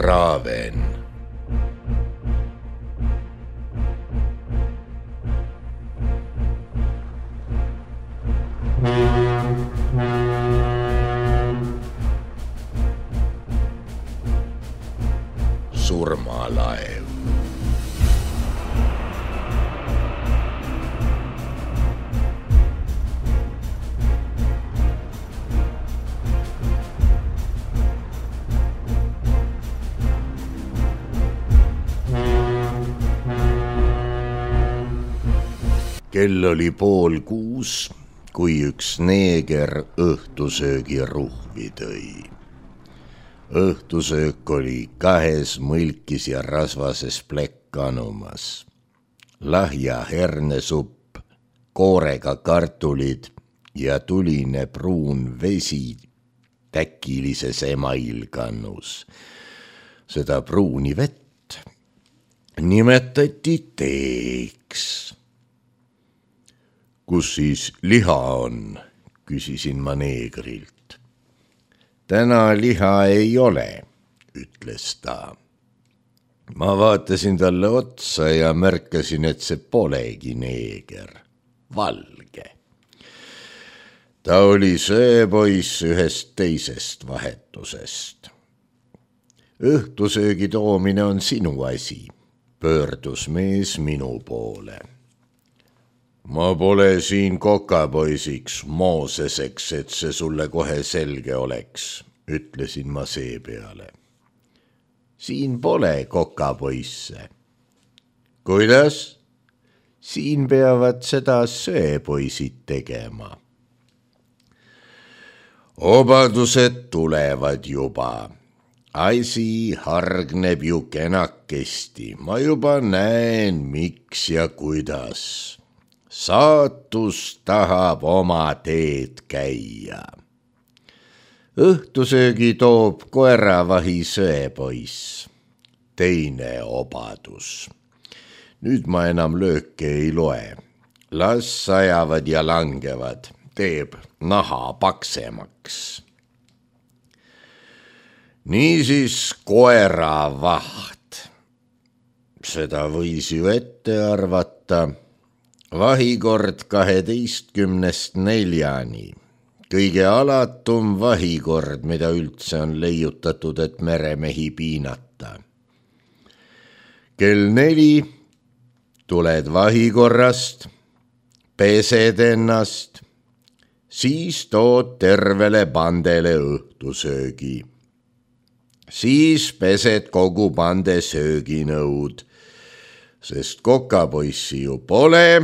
Raven. Surmalaev. Kell oli 5:30, kui üks neeger õhtusöögiruhvi tõi. Õhtusöök oli 2 mõlkis ja rasvases plekkanumas. Lahja hernesupp, koorega kartulid ja tuline pruun vesi täkilises emailkannus. Seda pruuni vett nimetati teeks. Kus siis liha on, küsisin ma neegrilt. Täna liha ei ole, ütles ta. Ma vaatasin talle otsa ja märkasin, et see polegi neeger, valge. Ta oli sööpoiss ühest teisest vahetusest. Õhtusöögi toomine on sinu asi, pöördus mees minu poole. Ma pole siin kokapoisiks, Mooseseks, et see sulle kohe selge oleks, ütlesin ma seepeale. Siin pole kokapoisse. Kuidas? Siin peavad seda sööpoisid tegema. Obadused tulevad juba. Asi hargneb ju kenakesti. Ma juba näen, miks ja kuidas. Saatus tahab oma teed käia. Õhtusöögi toob koeravahi sööpoiss. Teine obadus. Nüüd ma enam lööke ei loe. Las sajavad ja langevad. Teeb naha paksemaks. Niisiis koeravaht. Seda võis ju ette arvata. Vahikord 12:4. Kõige alatum vahikord, mida üldse on leiutatud, et meremehi piinata. Kell 4 tuled vahikorrast, pesed ennast, siis tood tervele pandele õhtusöögi. Siis pesed kogu pande sööginõud, sest kokapoissi ju pole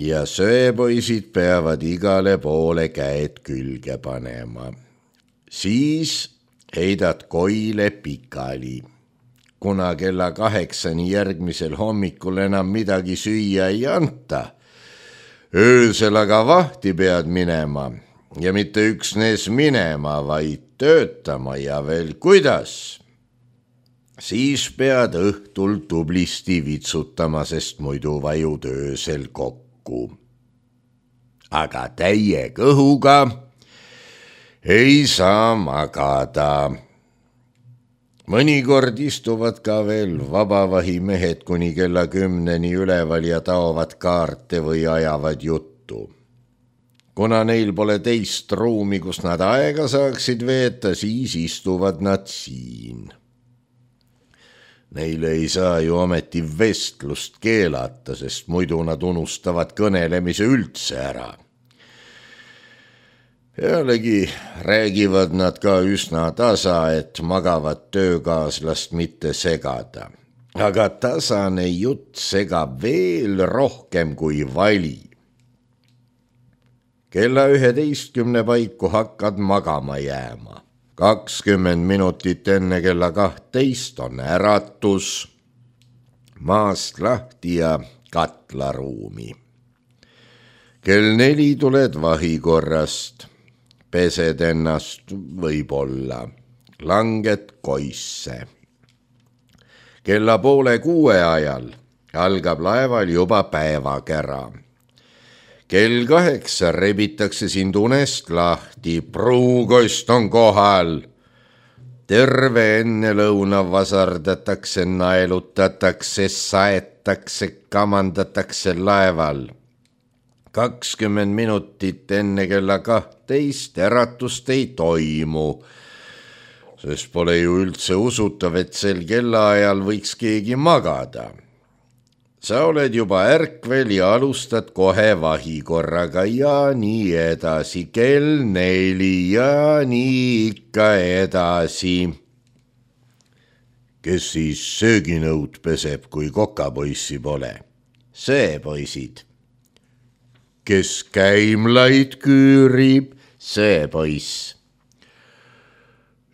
ja sööpoisid peavad igale poole käed külge panema. Siis heidad koile pikali. Kuna kella 8 järgmisel hommikul enam midagi süüa ei anta, öösel aga vahti pead minema ja mitte üksnes minema, vaid töötama ja veel kuidas. Siis pead õhtul tublisti vitsutama, sest muidu vajud öösel kokku. Aga täie kõhuga ei saa magada. Mõnikord istuvad ka veel vabavahimehed kuni kella 10 üleval ja taovad kaarte või ajavad juttu. Kuna neil pole teist ruumi, kus nad aega saaksid veeta, siis istuvad nad siin. Neile ei saa ju ometi vestlust keelata, sest muidu nad unustavad kõnelemise üldse ära. Pealegi räägivad nad ka üsna tasa, et magavat töökaaslast mitte segada. Aga tasane jutt segab veel rohkem kui vali. Kella 11 paiku hakkad magama jääma. 20 minutit enne kella 12 on äratus, maast lahti ja katlaruumi. Kell 4 tuled vahikorrast, pesed ennast võib-olla, langed koisse. Kella 5:30 ajal algab laeval juba päevakära. Kell 8 rebitakse sind unest lahti, pruukost on kohal. terve enne lõuna vasardatakse, naelutatakse, saetakse, kamandatakse laeval. 20 minutit enne kella 12 äratust ei toimu, sest pole ju üldse usutav, et sel kellaajal võiks keegi magada. Sa oled juba ärkvel ja alustad kohe vahikorraga ja nii edasi, kell 4 ja nii ikka edasi. Kes siis sööginõud peseb, kui kokapoissi pole? Sööpoisid. Kes käimlaid küürib? Sööpoiss.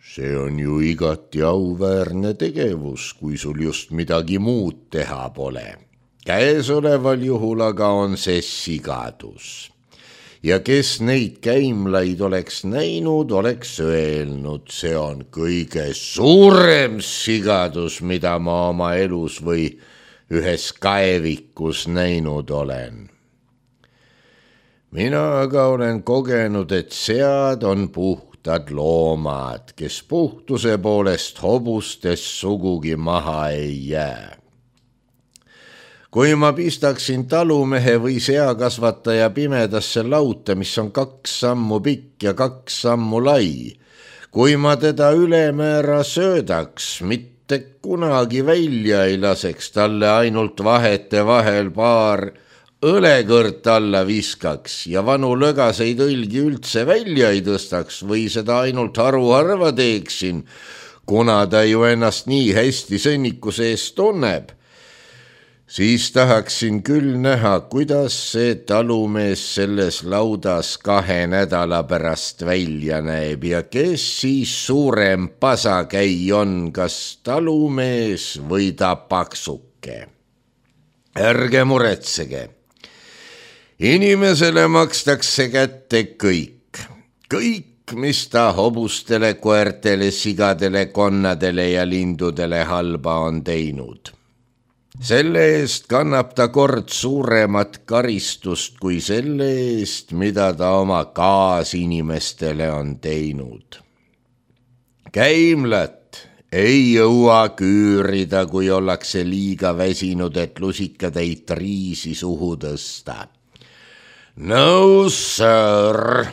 See on ju igati auväärne tegevus, kui sul just midagi muud teha pole. Käesoleval juhul aga on see sigadus. Ja kes neid käimlaid oleks näinud, oleks öelnud, see on kõige suurem sigadus, mida ma oma elus või ühes kaevikus näinud olen. Mina aga olen kogenud, et sead on puhtad loomad, kes puhtuse poolest hobustest sugugi maha ei jää. Kui ma pistaksin talumehe või seakasvataja pimedasse lauta, mis on 2 sammu pikk ja 2 sammu lai, kui ma teda ülemäära söödaks, mitte kunagi välja ei laseks, talle ainult vahete vahel paar õlekõrt alla viskaks ja vanu lögaseid õlgi üldse välja ei tõstaks või seda ainult haruharva teeksin, kuna ta ju ennast nii hästi sõnnikuse eest tunneb, siis tahaksin küll näha, kuidas see talumees selles laudas 2 nädala pärast välja näeb ja kes siis suurem pasakäi on, kas talumees või ta paksuke. Ärge muretsege. Inimesele makstakse kätte kõik, mis ta hobustele, koertele, sigadele, konnadele ja lindudele halba on teinud. Selle eest kannab ta kord suuremat karistust kui selle eest, mida ta oma kaasinimestele on teinud. Käimlat ei jõua küürida, kui ollakse liiga väsinud, et lusikatäit riisi suhu tõsta. No sir!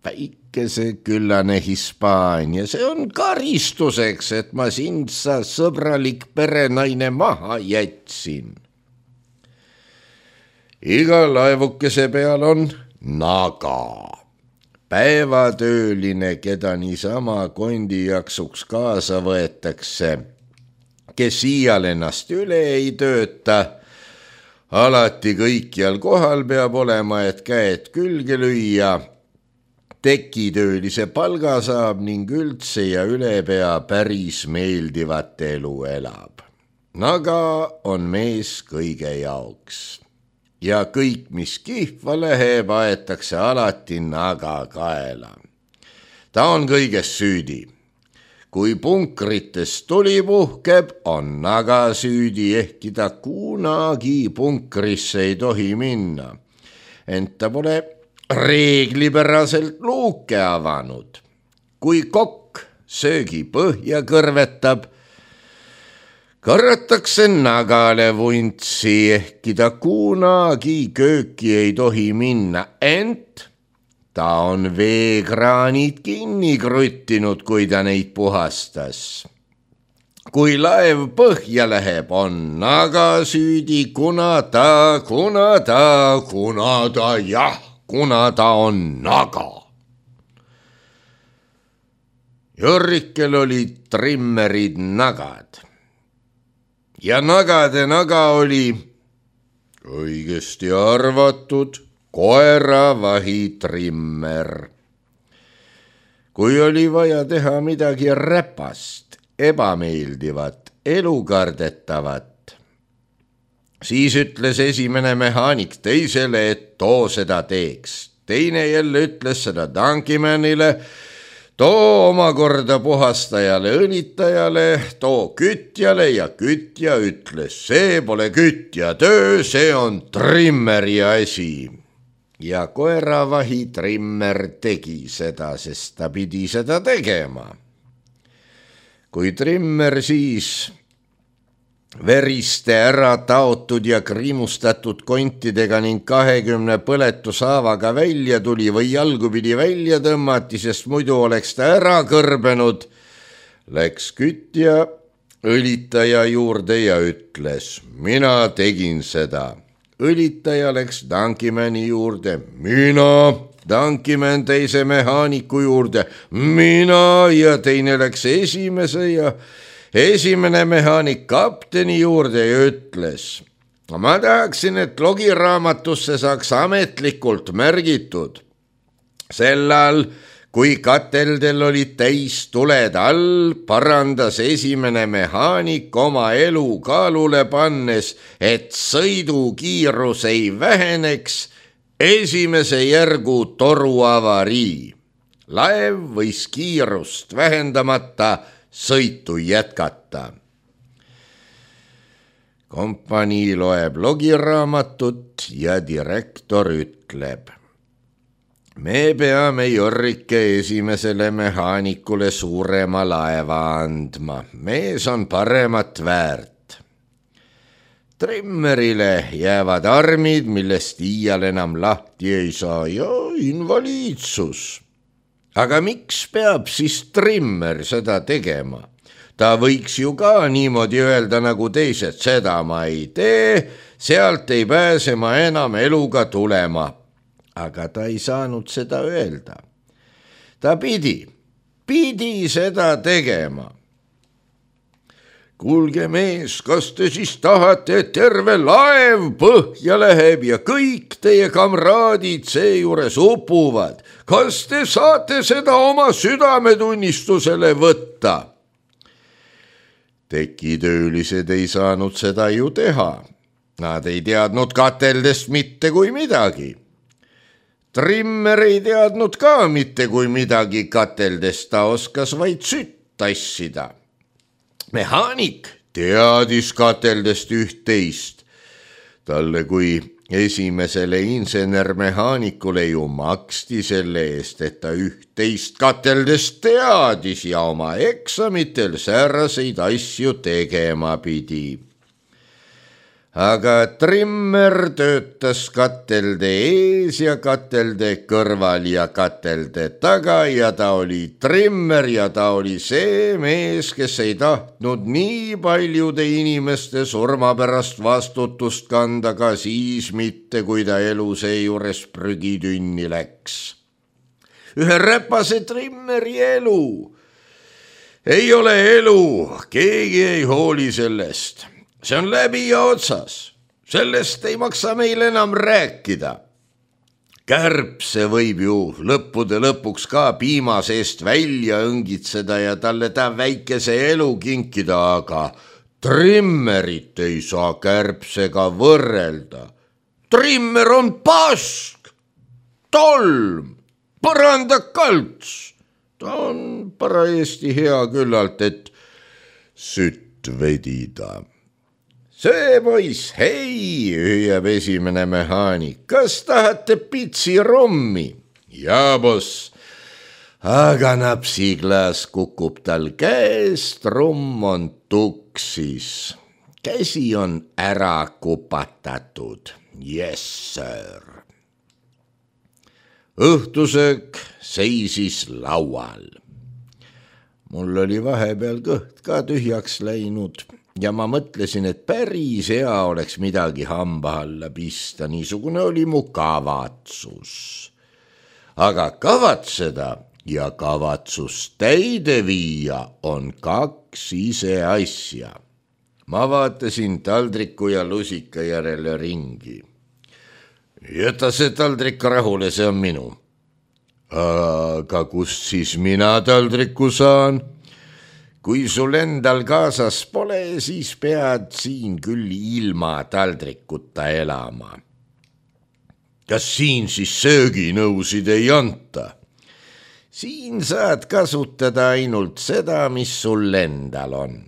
Väikeseküllane Hispaania, see on karistuseks, et ma sind, sa sõbralik perenaine, maha jätsin. Iga laevukese peal on naga. Päevatööline, keda niisama kondi jaksuks kaasa võetakse, kes iial ennast üle ei tööta, alati kõikjal kohal peab olema, et käed külge lüüa, tekitöölise palga saab ning üldse ja ülepea päris meeldivat elu elab. Naga on mees kõige jaoks ja kõik, mis kihva läheb, aetakse alati naga kaela. Ta on kõiges süüdi. Kui punkritest tuli puhkeb, on naga süüdi, ehkki ta kunagi punkrisse ei tohi minna. Ent ta pole reeglipäraselt luuke avanud. Kui kokk söögi põhja kõrvetab, karratakse nagale vuntsi, ehkki ta kunagi kööki ei tohi minna, ent ta on veekraanid kinni kruttinud, kui ta neid puhastas. Kui laev põhja läheb, on naga süüdi, kuna ta on naga. Jorrikel olid trimmerid nagad. Ja nagade naga oli õigesti arvatud koeravahitrimmer. Kui oli vaja teha midagi räpast, ebameeldivat, elukardetavat, siis ütles esimene mehaanik teisele, et too seda teeks. Teine jälle ütles seda tankimänile, too omakorda puhastajale, õlitajale, too kütjale ja kütja ütles, see pole kütja töö, see on trimmeri asi. Ja koeravahi trimmer tegi seda, sest ta pidi seda tegema. kui trimmer siis veriste ära taotud ja kriimustatud kontidega ning 20 põletushaavaga välja tuli või jalgupidi välja tõmmati, sest muidu oleks ta ära kõrbenud, läks kütja õlitaja juurde ja ütles: mina tegin seda. Õlitaja läks tankimani juurde: mina. Tankimen teise mehaaniku juurde: mina. Ja teine läks esimene mehaanik kapteni juurde ja ütles: ma tahaksin, et logiraamatusse saaks ametlikult märgitud. Sellal, kui kateldel olid täis tuled all, parandas esimene mehaanik oma elu kaalule pannes, et sõidukiirus ei väheneks, esimese järgu toru avarii. Laev võis kiirust vähendamata sõitu jätkata. Kompanii loeb logiraamatut ja direktor ütleb: me peame Jorrike esimesele mehaanikule suurema laeva andma, mees on paremat väärt. Trimmerile jäävad armid, millest iial enam lahti ei saa, ja invaliidsus. Aga miks peab siis trimmer seda tegema? Ta võiks ju ka niimoodi öelda nagu teised: seda ma ei tee, sealt ei pääse ma enam eluga tulema. Aga ta ei saanud seda öelda. Ta pidi seda tegema. Kuulge mees, kas te siis tahate, et terve laev põhja läheb ja kõik teie kamraadid seejuures upuvad? Kas te saate seda oma südametunnistusele võtta? Tekitöölised ei saanud seda ju teha. Nad ei teadnud kateldest mitte kui midagi. Trimmer ei teadnud ka mitte kui midagi kateldest, ta oskas vaid sütt tassida. Mehaanik teadis kateldest üht-teist. Talle kui esimesele insenermehaanikule ju maksti selle eest, et ta üht-teist kateldest teadis ja oma eksamitel sääraseid asju tegema pidi. Aga trimmer töötas katelde ees ja katelde kõrval ja katelde taga ja ta oli trimmer ja ta oli see mees, kes ei tahtnud nii paljude inimeste surma pärast vastutust kanda ka siis mitte, kui ta elu seejuures prügitünni läks. Ühe räpase trimmeri elu ei ole elu, keegi ei hooli sellest. See on läbi ja otsas, sellest ei maksa meil enam rääkida. Kärbse võib ju lõppude lõpuks ka piima seest välja õngitseda ja talle ta väikese elu kinkida, aga trimmerit ei saa kärbsega võrrelda. Trimmer on pask, tolm, põrandakalts. Ta on parajasti hea küllalt, et sütt vedida. See poiss, hei, hüüab esimene mehaanik, kas tahate pitsirommi? Jaa, boss. Aga napsiklaas kukub tal käest, rumm on tuksis. Käsi on ära kupatatud. Yes, sir. Õhtusöök seisis laual. Mul oli vahepeal kõht ka tühjaks läinud. Ja ma mõtlesin, et päris hea oleks midagi hamba alla pista, niisugune oli mu kavatsus. Aga kavatseda ja kavatsust täide viia on kaks ise asja. Ma vaatasin taldriku ja lusika järele ringi. Jäta see taldrik rahule, see on minu. Aga kust siis mina taldriku saan? Kui sul endal kaasas pole, siis pead siin küll ilma taldrikuta elama. Kas siin siis sööginõusid ei anta? Siin saad kasutada ainult seda, mis sul endal on.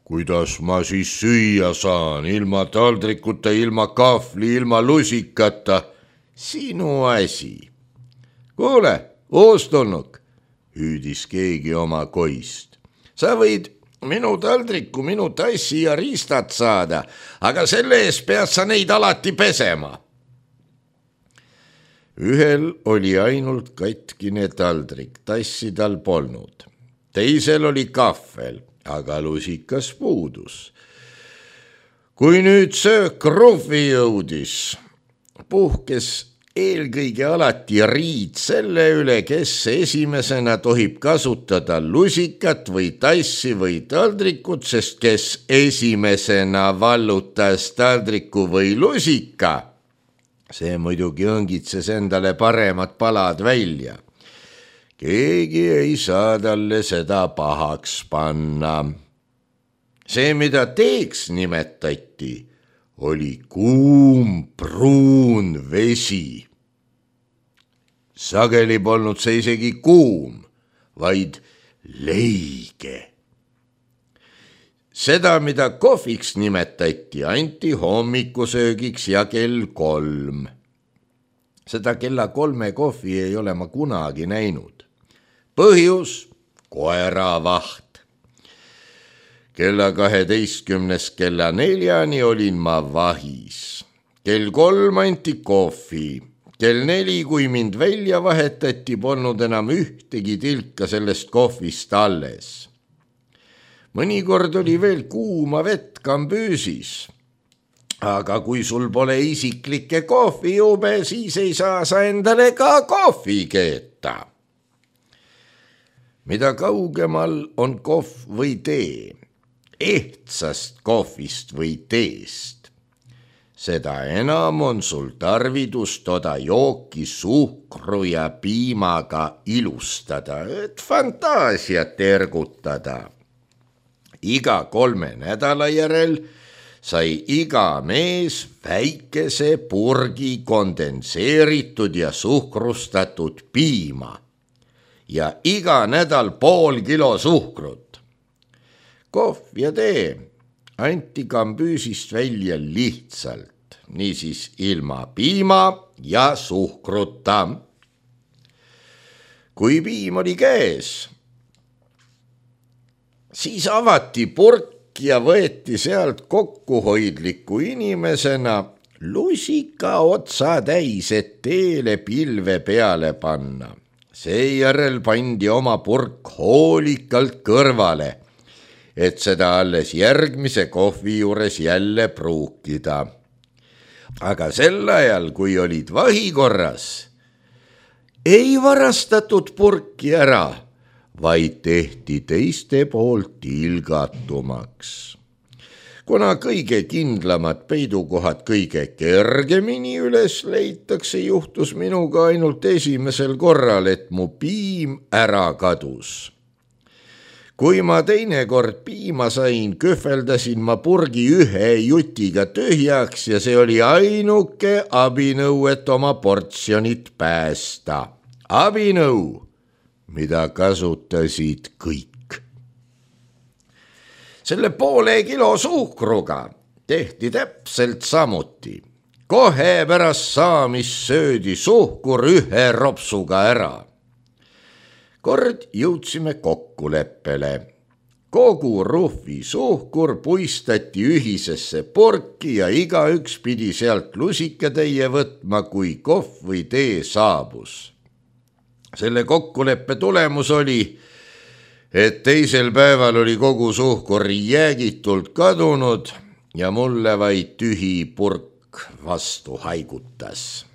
Kuidas ma siis süüa saan, ilma taldrikuta, ilma kahvli, ilma lusikata? Sinu asi. Kuule, uustulnuk, hüüdis keegi oma koist. sa võid minu taldriku, minu tassi ja riistad saada, aga selle eest pead sa neid alati pesema. Ühel oli ainult katkine taldrik, tassi tal polnud. Teisel oli kahvel, aga lusikas puudus. Kui nüüd söök kruhvi jõudis, puhkes eelkõige alati riid selle üle, kes esimesena tohib kasutada lusikat või tassi või taldrikut, sest kes esimesena vallutas taldriku või lusika, see muidugi õngitses endale paremad palad välja. Keegi ei saa talle seda pahaks panna. See, mida teeks nimetati, oli kuum pruun vesi. Sageli polnud see isegi kuum, vaid leige. Seda, mida kohviks nimetati, anti hommikusöögiks ja kell 3. Seda kella 3 kohvi ei ole ma kunagi näinud. Põhjus, koeravaht. Kella 12 kella 4 olin ma vahis. Kell 3 anti kohvi. Kell 4, kui mind välja vahetati, polnud enam ühtegi tilka sellest kohvist alles. Mõnikord oli veel kuuma vett kambüüsis. Aga kui sul pole isiklikke kohvijube, siis ei saa sa endale ka kohvi keeta. Mida kaugemal on kohv või tee, ehtsast kohvist või teest, seda enam on sul tarvidus toda jooki suhkru ja piimaga ilustada, et fantaasiat ergutada. Iga 3 nädala järel sai iga mees väikese purgi kondenseeritud ja suhkrustatud piima ja iga nädal pool kilo suhkrut. Kohv ja tee anti kambüüsist välja lihtsalt, niisiis ilma piima ja suhkruta. Kui piim oli käes, siis avati purk ja võeti sealt kokkuhoidliku inimesena lusika otsa täis, et teele pilve peale panna. Seejärel pandi oma purk hoolikalt kõrvale, et seda alles järgmise kohvi juures jälle pruukida. Aga sel ajal, kui olid vahikorras, ei varastatud purki ära, vaid tehti teiste poolt tilgatumaks. Kuna kõige kindlamad peidukohad kõige kergemini üles leitakse, juhtus minuga ainult esimesel korral, et mu piim ära kadus. Kui ma teinekord piima sain, kühveldasin ma purgi ühe jutiga tühjaks ja see oli ainuke abinõu, et oma portsjonit päästa. Abinõu, mida kasutasid kõik. Selle poole kilo suhkruga tehti täpselt samuti. Kohe pärast saamist söödi suhkur ühe ropsuga ära. Kord jõudsime kokkuleppele. Kogu ruhvi suhkur puistati ühisesse purki ja igaüks pidi sealt lusikatäie võtma, kui kohv või tee saabus. Selle kokkuleppe tulemus oli, et teisel päeval oli kogu suhkur jäägitult kadunud ja mulle vaid tühi purk vastu haigutas.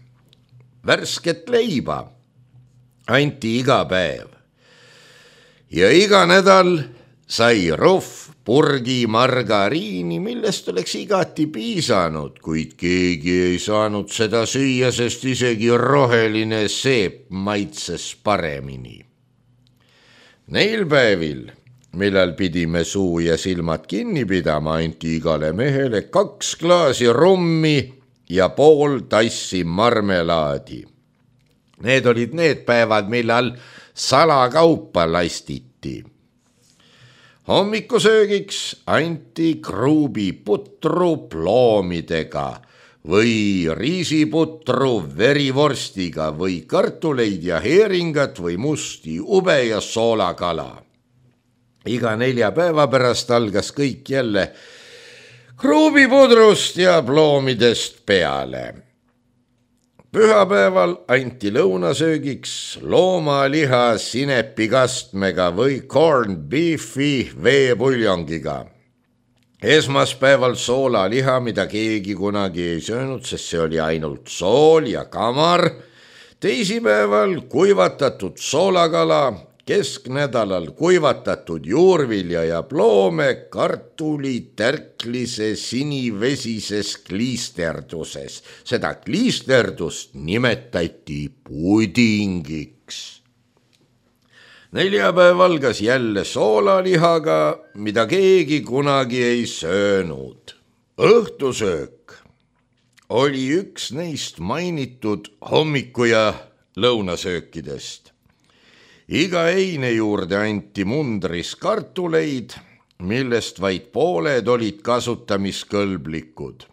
Värsket leiba anti iga päev. Ja iga nädal sai ruhv purgi margariini, millest oleks igati piisanud, kuid keegi ei saanud seda süüa, sest isegi roheline seep maitses paremini. Neil päevil, millal pidime suu ja silmad kinni pidama, anti igale mehele 2 klaasi rummi ja pool tassi marmelaadi. Need olid need päevad, millal salakaupa lastiti. Hommikusöögiks anti kruubiputru ploomidega või riisiputru verivorstiga või kartuleid ja heeringat või musti ube ja soolakala. iga 4 päeva pärast algas kõik jälle kruubipudrust ja ploomidest peale. Pühapäeval anti lõunasöögiks loomaliha sinepikastmega või corned beefi veepuljongiga. Esmaspäeval soolaliha, mida keegi kunagi ei söönud, sest see oli ainult sool ja kamar. Teisipäeval kuivatatud soolakala, kesknädalal kuivatatud juurvilja ja ploome kartuli tärklise sinivesises kliisterduses. Seda kliisterdust nimetati pudingiks. Neljapäev algas jälle soolalihaga, mida keegi kunagi ei söönud. Õhtusöök oli üks neist mainitud hommiku- ja lõunasöökidest. Iga eine juurde anti mundris kartuleid, millest vaid pooled olid kasutamiskõlblikud.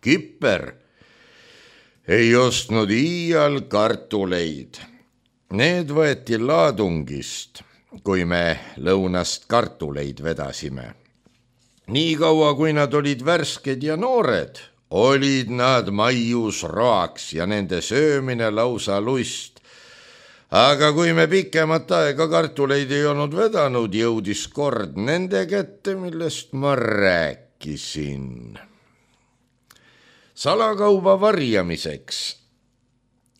Kipper ei ostnud iial kartuleid. Need võeti laadungist, kui me lõunast kartuleid vedasime. Nii kaua, kui nad olid värsked ja noored, olid nad maius roaks ja nende söömine lausa lust. Aga kui me pikemat aega kartuleid ei olnud vedanud, jõudis kord nende kätte, millest ma rääkisin. Salakauba varjamiseks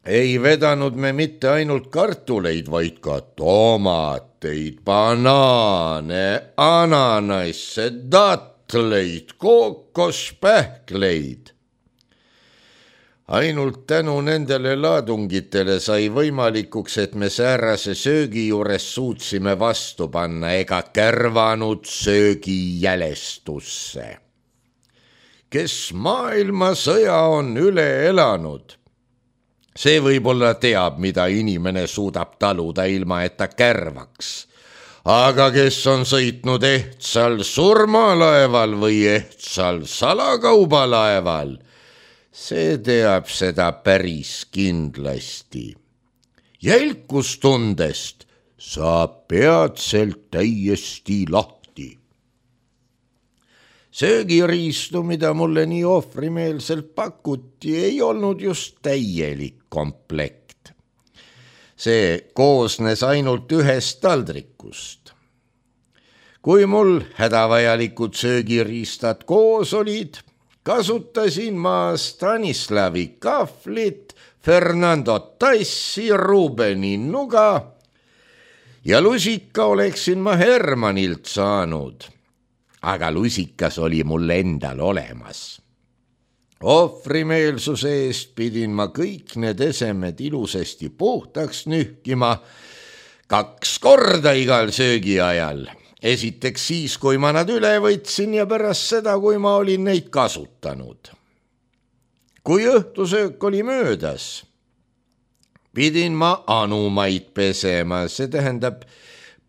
ei vedanud me mitte ainult kartuleid, vaid ka tomateid, banaane, ananasse, datleid, kookospähkleid. Ainult tänu nendele laadungitele sai võimalikuks, et me säärase söögi juures suutsime vastu panna ega kärvanud söögi jälestusse. Kes maailmasõja on üle elanud, see võib-olla teab, mida inimene suudab taluda ilma, et ta kärvaks. Aga kes on sõitnud ehtsal surmalaeval või ehtsal salakaubalaeval, see teab seda päris kindlasti. Jälkustundest saab peatselt täiesti lahti. Söögiriistu, mida mulle nii ohvrimeelselt pakuti, ei olnud just täielik komplekt. See koosnes ainult ühest taldrikust. Kui mul hädavajalikud söögiriistad koos olid, kasutasin ma Stanislavi kahvlit, Fernando Tassi, Rubeni nuga ja lusika oleksin ma Hermanilt saanud. Aga lusikas oli mul endal olemas. Ohvrimeelsuse eest pidin ma kõik need esemed ilusasti puhtaks nühkima 2 korda igal söögiajal. Esiteks siis, kui ma nad üle võtsin ja pärast seda, kui ma olin neid kasutanud. Kui õhtusöök oli möödas, pidin ma anumaid pesema, see tähendab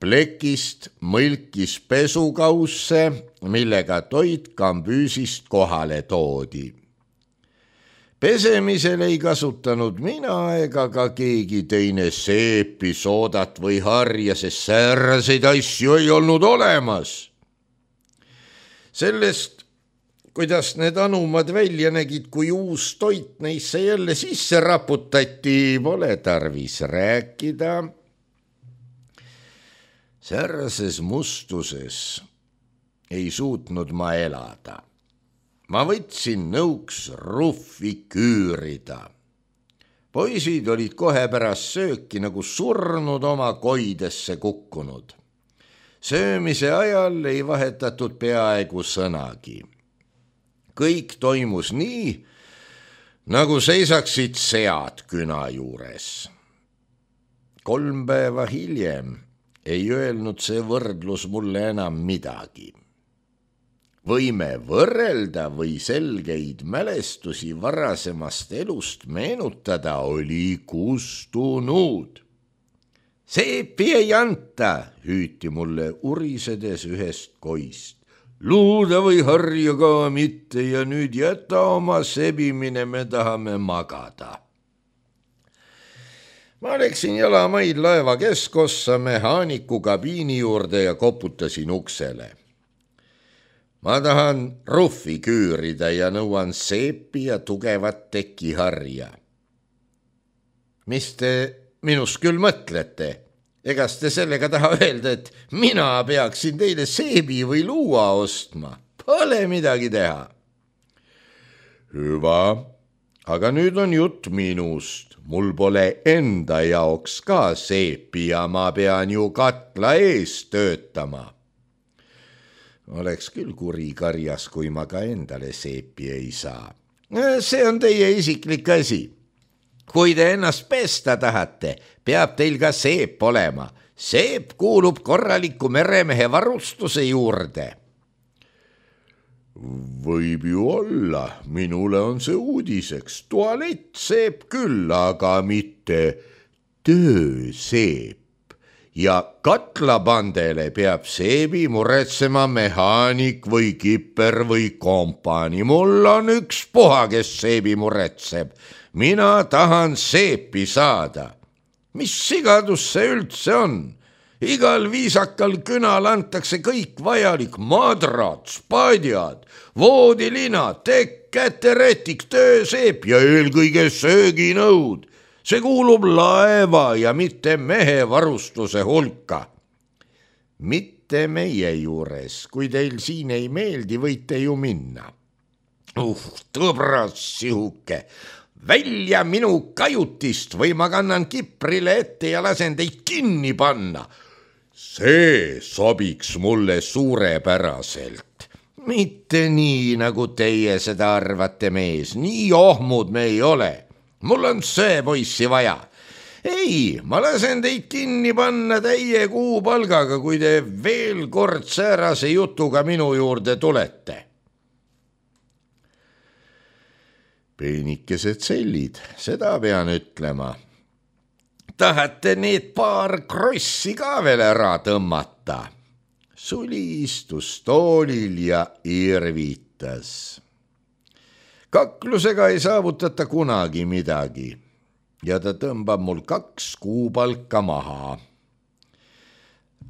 plekist mõlkis pesukausse, millega toit kambüüsist kohale toodi. Pesemisel ei kasutanud mina ega ka keegi teine seepi, soodat või harja, sest sääraseid asju ei olnud olemas. Sellest, kuidas need anumad välja nägid, kui uus toit neisse jälle sisse raputati, pole tarvis rääkida. Säärases mustuses ei suutnud ma elada. Ma võtsin nõuks ruffi küürida. Poisid olid kohe pärast sööki nagu surnud oma koidesse kukkunud. Söömise ajal ei vahetatud peaaegu sõnagi. Kõik toimus nii, nagu seisaksid sead küna juures. 3 päeva hiljem ei öelnud see võrdlus mulle enam midagi. Võime võrrelda või selgeid mälestusi varasemast elust meenutada, oli kustunud. Seepi ei anta, hüüti mulle urisedes ühest koist. Luuda või harja ka mitte ja nüüd jäta oma sebimine, me tahame magada. Ma läksin jalamaid laeva keskossa mehaaniku kabiini juurde ja koputasin uksele. Ma tahan ruffi küürida ja nõuan seepi ja tugevat tekiharja. Mis te minust küll mõtlete? Egas te sellega taha öelda, et mina peaksin teile seebi või luua ostma? Pole midagi teha. Hüva, aga nüüd on jutt minust. Mul pole enda jaoks ka seepi ja ma pean ju katla ees töötama. Oleks küll kuri karjas, kui ma ka endale seepi ei saa. See on teie isiklik asi. Kui te ennast pesta tahate, peab teil ka seep olema. Seep kuulub korraliku meremehe varustuse juurde. Võib ju olla, minule on see uudiseks. Tualett seep küll, aga mitte tööseep. Ja katlapandele peab seebi muretsema mehaanik või kipper või kompani. Mul on ükspuha, kes seebi muretseb. Mina tahan seepi saada. Mis sigadus see üldse on? Igal viisakal künal antakse kõik vajalik, madrad, spadjad, voodilina, tekk, käterätik, tööseep ja eelkõige sööginõud. See kuulub laeva ja mitte mehe varustuse hulka. Mitte meie juures, kui teil siin ei meeldi, võite ju minna. Tõbras sihuke. Välja minu kajutist või ma kannan kiprile ette ja lasen teid kinni panna. See sobiks mulle suurepäraselt. Mitte nii, nagu teie seda arvate, mees. Nii ohmud me ei ole. Mul on see poissi vaja. Ei, ma lasen teid kinni panna täie kuupalgaga, kui te veel kord säärase jutuga minu juurde tulete. Peenikesed sellid, seda pean ütlema. Tahate need paar krossi ka veel ära tõmmata? Suli istus toolil ja irvitas. Kaklusega ei saavutata kunagi midagi ja ta tõmbab mul 2 kuupalka maha.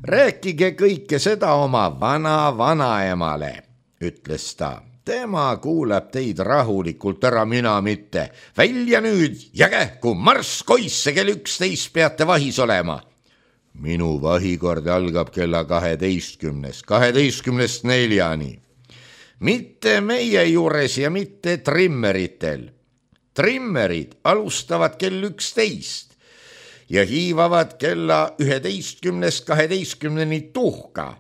Rääkige kõike seda oma vanaemale, ütles ta. Tema kuulab teid rahulikult ära, mina mitte. Välja nüüd ja kähku, marss koisse, kell 11 peate vahis olema. Minu vahikord algab kella 12, 12:04. Mitte meie juures ja mitte trimmeritel. Trimmerid alustavad kell 11 ja hiivavad kella 11:12 tuhka.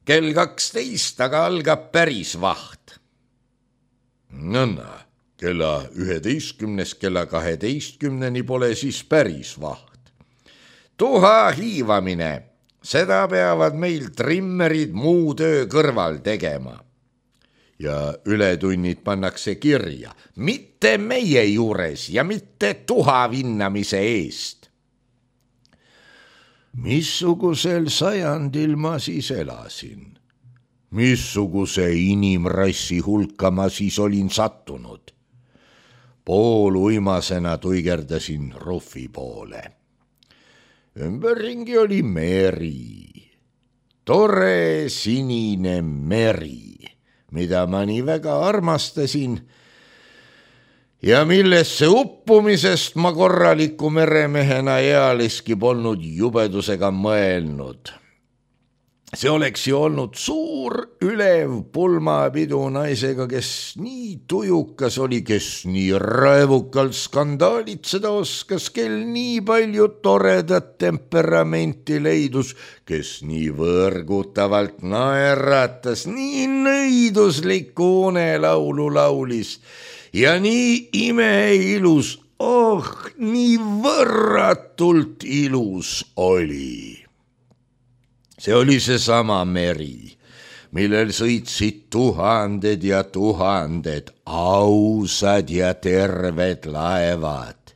Kell 12 aga algab päris vaht. Nõnda, kella 11 kella 12 pole siis päris vaht. Tuha hiivamine, seda peavad meil trimmerid muu töö kõrval tegema. Ja ületunnid pannakse kirja, mitte meie juures ja mitte tuha vinnamise eest. Missugusel sajandil ma siis elasin? Missuguse inimrassi hulka ma siis olin sattunud? Pooluimasena tuigerdasin ruffi poole. Ümberringi oli meri. Tore sinine meri, mida ma nii väga armastasin ja millesse uppumisest ma korraliku meremehena ealiski polnud jubedusega mõelnud. See oleks ju olnud suur ülev pulmapidu naisega, kes nii tujukas oli, kes nii raevukalt skandaalitseda oskas, kel nii palju toredat temperamenti leidus, kes nii võrgutavalt naeratas, nii nõiduslikku unelaulu laulis ja nii imeilus, nii võrratult ilus oli. See oli seesama meri, millel sõitsid tuhanded ja tuhanded ausad ja terved laevad.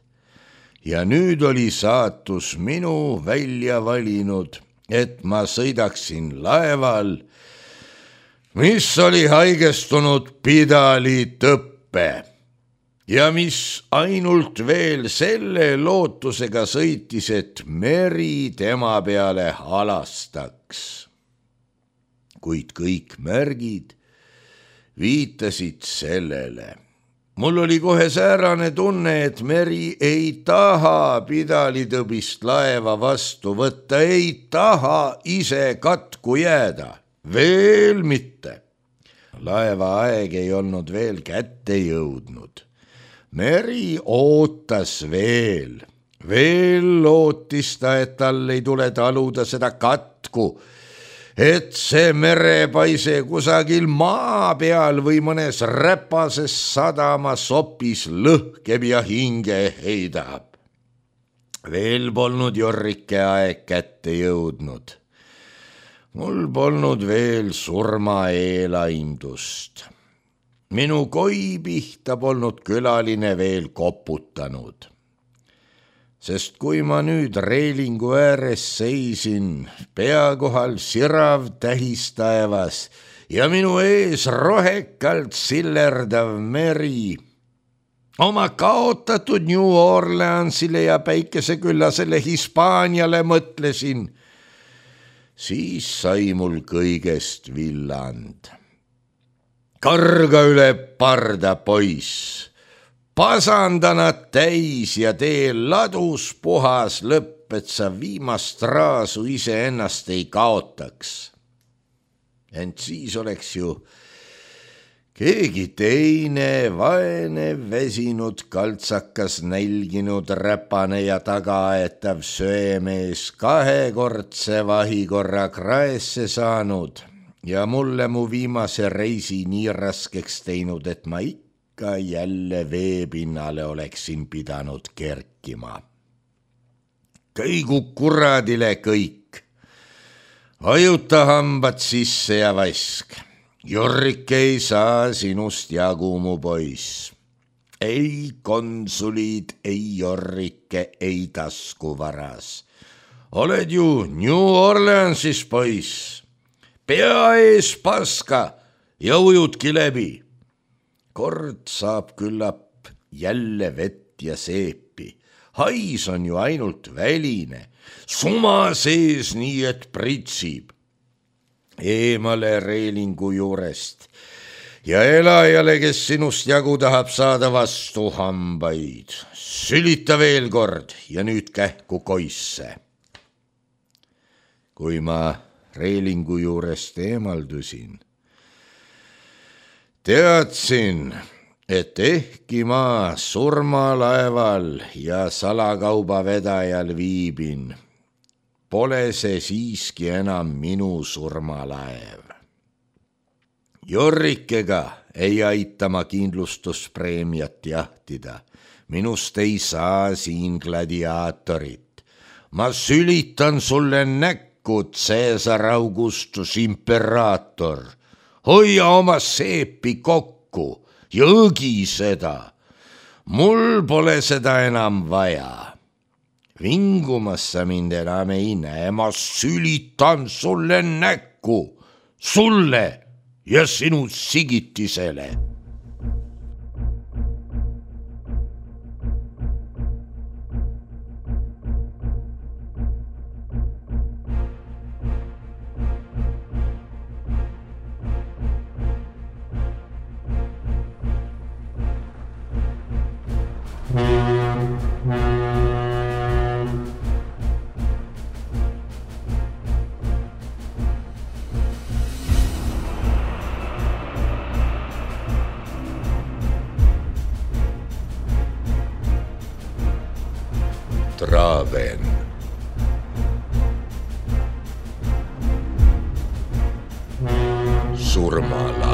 Ja nüüd oli saatus minu välja valinud, et ma sõidaksin laeval, mis oli haigestunud pidalitõppe. ja mis ainult veel selle lootusega sõitis, et meri tema peale halastaks. Kuid kõik märgid viitasid sellele. Mul oli kohe säärane tunne, et meri ei taha pidalitõbist laeva vastu võtta, ei taha ise katku jääda, veel mitte. Laeva aeg ei olnud veel kätte jõudnud. Meri ootas veel lootis ta, et tal ei tule taluda seda katku, et see merepaise kusagil maa peal või mõnes räpases sadamas opis lõhkeb ja hinge heidab. Veel polnud Jorrike aeg kätte jõudnud. Mul polnud veel surmaeelaimdust. Minu koi pihta polnud külaline veel koputanud. Sest kui ma nüüd reelingu ääres seisin, pea kohal sirav tähistaevas ja minu ees rohekalt sillerdav meri, oma kaotatud New Orleansile ja päikeseküllasele Hispaaniale mõtlesin, siis sai mul kõigest villand. Karga üle parda, poiss! Pasanda nad täis ja tee ladus puhas lõpp, et sa viimast raasu iseennast ei kaotaks. Ent siis oleks ju keegi teine vaene väsinud kaltsakas nälginud räpane ja tagaaetav söemees kahekordse vahikorra kraesse saanud ja mulle mu viimase reisi nii raskeks teinud, et ma jälle veepinnale oleksin pidanud kerkima. Kõigu kuradile kõik. Vajuta hambad sisse ja vask. Jorrike ei saa sinust jagu, mu poiss. Ei konsulid, ei Jorrike, ei taskuvaras. Oled ju New Orleansis, poiss. Pea ees paska ja ujudki läbi. Kord saab küllap jälle vett ja seepi. Hais on ju ainult väline, suma sees nii, et pritsib. Eemale reelingu juurest ja elajale, kes sinust jagu tahab saada, vastu hambaid. Sülita veel kord ja nüüd kähku koisse. Kui ma reelingu juurest eemaldusin, teadsin, et ehkki ma surmalaeval ja salakaubavedajal viibin, pole see siiski enam minu surmalaev. Jorrikega ei aita ma kindlustuspreemiat jahtida. Minust ei saa siin gladiaatorit. Ma sülitan sulle näkku, Caesar Augustus imperaator. Hoia oma seepi kokku ja õgi seda. Mul pole seda enam vaja. Vingumas sa mind enam ei näe, ma sülitan sulle näkku, sulle ja sinu sigitisele. Traven. Surmala.